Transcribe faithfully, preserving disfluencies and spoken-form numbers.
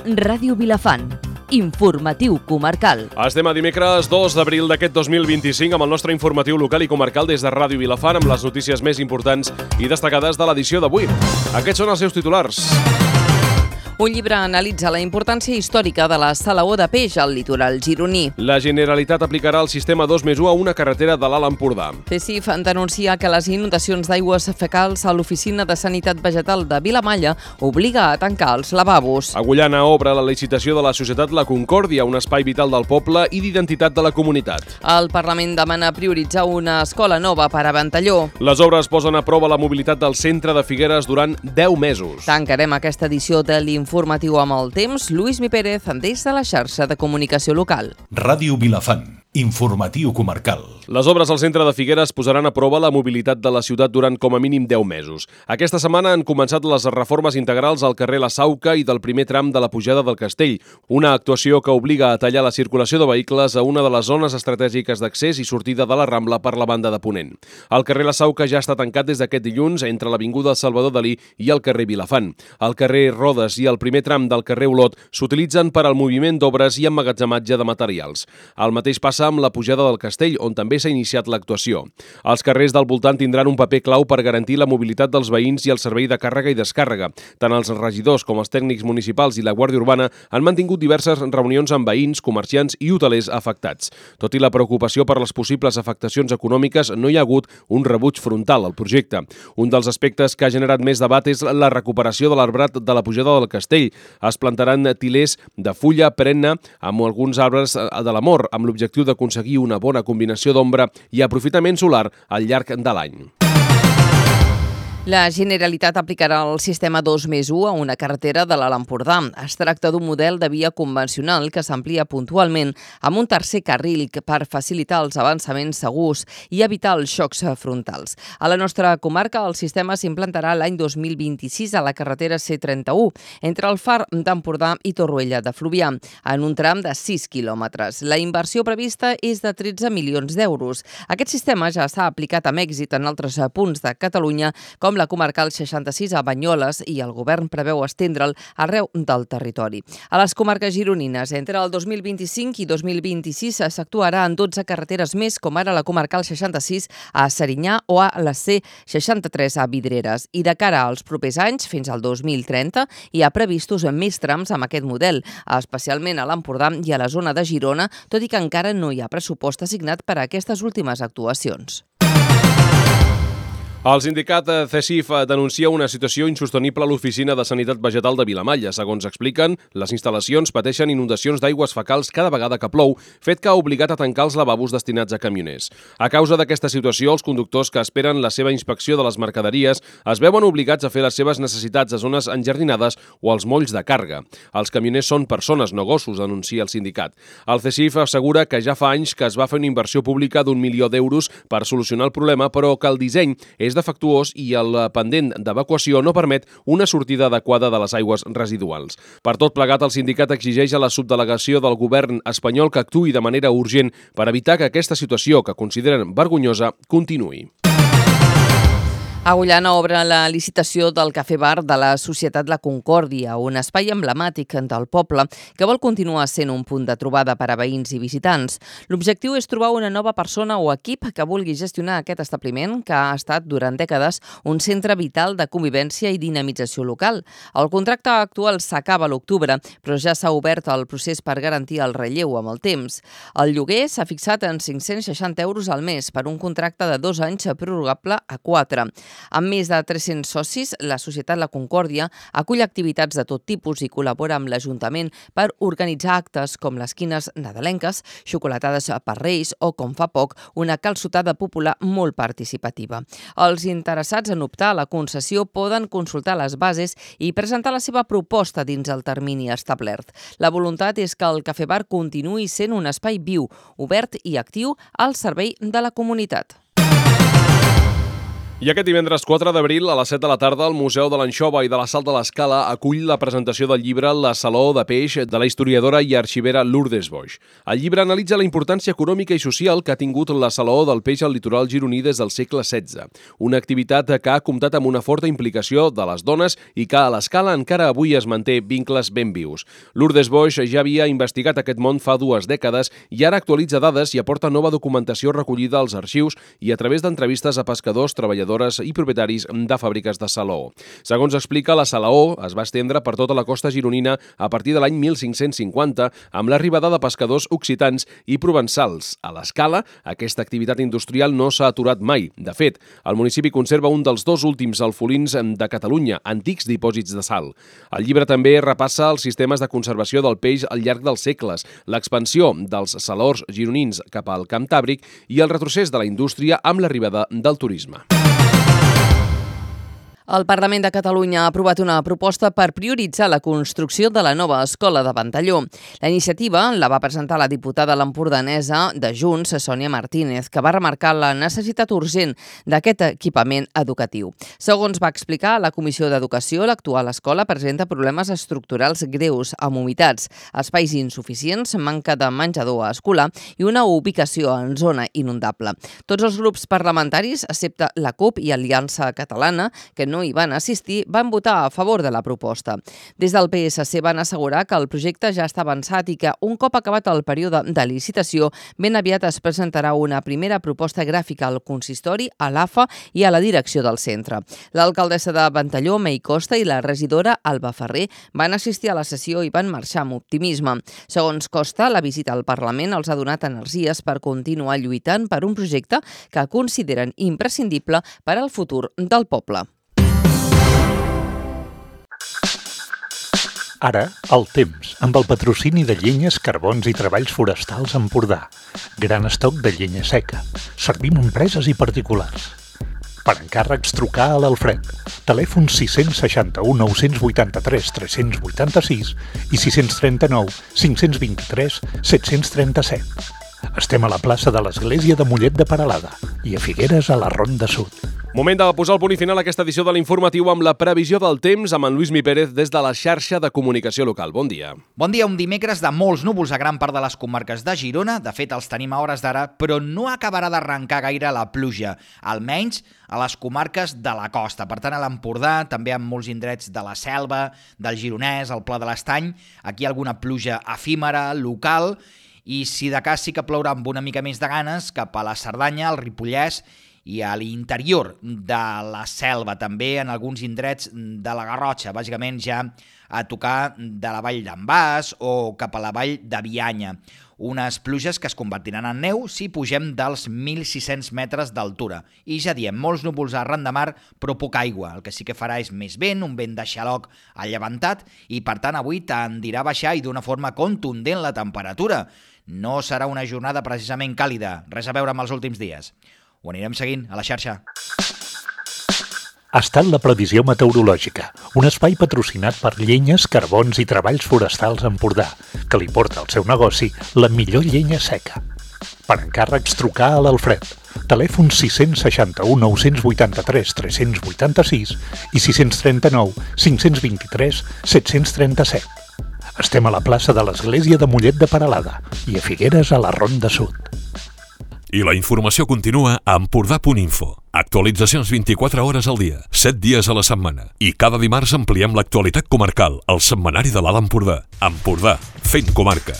Ràdio Vilafant. Informatiu comarcal. Estem a dimecres dos d'abril d'aquest dos mil vint-i-cinc amb el nostre informatiu local i comarcal des de Ràdio Vilafant amb les notícies més importants i destacades de l'edició d'avui. Aquests són els seus titulars. Un llibre analitza la importància històrica de la salaó de peix al litoral gironí. La Generalitat aplicarà el sistema dos més u a una carretera de l'Alt Empordà. CECIF denuncia que les inundacions d'aigües fecals a l'Oficina de Sanitat Vegetal de Vilamalla obliga a tancar els lavabos. Agullana obre la licitació de la societat La Concòrdia, un espai vital del poble i d'identitat de la comunitat. El Parlament demana prioritzar una escola nova per a Ventalló. Les obres posen a prova la mobilitat del centre de Figueres durant deu mesos. Tancarem aquesta edició de l'informatiu amb el temps. Lluís Mi Pérez, des de la xarxa de comunicació local. Ràdio Vilafant. Informatiu comarcal. Les obres al centre de Figueres posaran a prova la mobilitat de la ciutat durant com a mínim deu mesos. Aquesta setmana han començat les reformes integrals al carrer La Sauca i del primer tram de la pujada del Castell, una actuació que obliga a tallar la circulació de vehicles a una de les zones estratègiques d'accés i sortida de la Rambla per la banda de Ponent. El carrer La Sauca ja està tancat des d'aquest dilluns entre l'avinguda Salvador Dalí i el carrer Vilafant. El carrer Rodes i el primer tram del carrer Olot s'utilitzen per al moviment d'obres i emmagatzematge de materials. El mateix passa amb la pujada del Castell, on també s'ha iniciat l'actuació. Els carrers del voltant tindran un paper clau per garantir la mobilitat dels veïns i el servei de càrrega i descàrrega. Tant els regidors com els tècnics municipals i la Guàrdia Urbana han mantingut diverses reunions amb veïns, comerciants i hotelers afectats. Tot i la preocupació per les possibles afectacions econòmiques, no hi ha hagut un rebuig frontal al projecte. Un dels aspectes que ha generat més debat és la recuperació de l'arbrat de la pujada del Castell. Es plantaran tilers de fulla perenne amb alguns arbres de l'amor, amb l'objectiu d'aconseguir una bona combinació d'ombra i aprofitament solar al llarg de l'any. La Generalitat aplicarà el sistema dos més u a una carretera de l'Alt Empordà. Es tracta d'un model de via convencional que s'amplia puntualment amb un tercer carril per facilitar els avançaments segurs i evitar els xocs frontals. A la nostra comarca, el sistema s'implantarà l'any dos mil vint-i-sis a la carretera C trenta-u, entre el Far d'Empordà i Torroella de Fluvià, en un tram de sis quilòmetres. La inversió prevista és de tretze milions d'euros. Aquest sistema ja s'ha aplicat amb èxit en altres punts de Catalunya, com la comarcal seixanta-sis a Banyoles, i el govern preveu estendre'l arreu del territori. A les comarques gironines, entre el dos mil vint-i-cinc i dos mil vint-i-sis s'actuarà en dotze carreteres més, com ara la comarcal seixanta-sis a Serinyà o a la C seixanta-tres a Vidreres. I de cara als propers anys, fins al dos mil trenta, hi ha previstos més trams amb aquest model, especialment a l'Empordà i a la zona de Girona, tot i que encara no hi ha pressupost assignat per a aquestes últimes actuacions. El sindicat CECIF denuncia una situació insostenible a l'Oficina de Sanitat Vegetal de Vilamalla. Segons expliquen, les instal·lacions pateixen inundacions d'aigües fecals cada vegada que plou, fet que ha obligat a tancar els lavabos destinats a camioners. A causa d'aquesta situació, els conductors que esperen la seva inspecció de les mercaderies es veuen obligats a fer les seves necessitats a zones enjardinades o als molls de càrrega. Els camioners són persones, no gossos, denuncia el sindicat. El CECIF assegura que ja fa anys que es va fer una inversió pública d'un milió d'euros per solucionar el problema, però que el disseny és defectuós i el pendent d'evacuació no permet una sortida adequada de les aigües residuals. Per tot plegat, el sindicat exigeix a la subdelegació del govern espanyol que actuï de manera urgent per evitar que aquesta situació, que consideren vergonyosa, continuï. Agullana obre la licitació del Cafè Bar de la Societat La Concòrdia, un espai emblemàtic del poble que vol continuar sent un punt de trobada per a veïns i visitants. L'objectiu és trobar una nova persona o equip que vulgui gestionar aquest establiment, que ha estat durant dècades un centre vital de convivència i dinamització local. El contracte actual s'acaba a l'octubre, però ja s'ha obert el procés per garantir el relleu amb el temps. El lloguer s'ha fixat en cinc-cents seixanta euros al mes per un contracte de dos anys prorrogable a quatre. Amb més de tres-cents socis, la Societat La Concòrdia acull activitats de tot tipus i col·labora amb l'Ajuntament per organitzar actes com les quines nadalenques, xocolatades per Reis o, com fa poc, una calçotada popular molt participativa. Els interessats en optar a la concessió poden consultar les bases i presentar la seva proposta dins el termini establert. La voluntat és que el Cafè Bar continuï sent un espai viu, obert i actiu al servei de la comunitat. I aquest divendres quatre d'abril, a les set de la tarda, el Museu de l'Anxova i de la Sal de l'Escala acull la presentació del llibre La Saló de Peix de la historiadora i arxivera Lourdes Boix. El llibre analitza la importància econòmica i social que ha tingut la Saló del Peix al litoral gironí des del segle setze. Una activitat que ha comptat amb una forta implicació de les dones i que a l'Escala encara avui es manté vincles ben vius. Lourdes Boix ja havia investigat aquest món fa dues dècades i ara actualitza dades i aporta nova documentació recollida als arxius i a través d'entrevistes a pescadors, treballadors i propietaris de fàbriques de salaó. Segons explica, la salaó es va estendre per tota la costa gironina a partir de l'any mil cinc-cents cinquanta amb l'arribada de pescadors occitans i provençals. A l'Escala, aquesta activitat industrial no s'ha aturat mai. De fet, el municipi conserva un dels dos últims alfolins de Catalunya, antics dipòsits de sal. El llibre també repassa els sistemes de conservació del peix al llarg dels segles, l'expansió dels salors gironins cap al Cantàbric i el retrocés de la indústria amb l'arribada del turisme. El Parlament de Catalunya ha aprovat una proposta per prioritzar la construcció de la nova escola de Ventalló. La iniciativa la va presentar la diputada lampordanesa de Junts, Sònia Martínez, que va remarcar la necessitat urgent d'aquest equipament educatiu. Segons va explicar a la Comissió d'Educació, l'actual escola presenta problemes estructurals greus, amb humitats, espais insuficients, manca de menjador escolar i una ubicació en zona inundable. Tots els grups parlamentaris, excepte la CUP i Aliança Catalana, que no hi van assistir, van votar a favor de la proposta. Des del P S C van assegurar que el projecte ja està avançat i que, un cop acabat el període de licitació, ben aviat es presentarà una primera proposta gràfica al consistori, a l'A F A i a la direcció del centre. L'alcaldessa de Ventalló, Mei Costa, i la regidora Alba Ferrer van assistir a la sessió i van marxar amb optimisme. Segons Costa, la visita al Parlament els ha donat energies per continuar lluitant per un projecte que consideren imprescindible per al futur del poble. Ara, el temps, amb el patrocini de Llenyes, Carbons i Treballs Forestals Empordà. Gran estoc de llenya seca. Servim a empreses i particulars. Per encàrrecs, trucar a l'Alfred. Telèfon sis seixanta-u, nou vuitanta-tres, tres vuitanta-sis i sis trenta-nou, cinc vint-i-tres, set trenta-set. Estem a la plaça de l'Església de Mollet de Peralada i a Figueres, a la Ronda Sud. Moment de posar el punt i final a aquesta edició de l'Informatiu amb la previsió del temps amb en Lluís Mi Pérez des de la xarxa de comunicació local. Bon dia. Bon dia, un dimecres de molts núvols a gran part de les comarques de Girona. De fet, els tenim a hores d'ara, però no acabarà d'arrencar gaire la pluja, almenys a les comarques de la costa. Per tant, a l'Empordà, també en molts indrets de la Selva, del Gironès, al Pla de l'Estany, aquí alguna pluja efímera, local, i si de cas sí que plourà amb una mica més de ganes cap a la Cerdanya, al Ripollès i a l'interior de la Selva, també en alguns indrets de la Garrotxa, bàsicament ja a tocar de la vall d'en Bas o cap a la vall de Bianya. Unes pluges que es convertiran en neu si pugem dels mil sis-cents metres d'altura. I ja diem, molts núvols arran de mar, però poca aigua. El que sí que farà és més vent, un vent de xaloc allevantat, i per tant avui tendirà a baixar i d'una forma contundent la temperatura. No serà una jornada precisament càlida, res a veure amb els últims dies. Ho anirem seguint a la xarxa. Ha estat la previsió meteorològica, un espai patrocinat per Llenyes, Carbons i Treballs Forestals Empordà, que li porta al seu negoci la millor llenya seca. Per encàrrecs, trucar a l'Alfred. Telèfon sis seixanta-u, nou vuitanta-tres, tres vuitanta-sis i sis trenta-nou, cinc vint-i-tres, set trenta-set. Estem a la plaça de l'Església de Mollet de Peralada i a Figueres, a la Ronda Sud. I la informació continua a empordà punt info. Actualitzacions vint-i-quatre hores al dia, set dies a la setmana. I cada dimarts ampliem l'actualitat comarcal al setmanari de l'Alt Empordà. Empordà, fent comarca.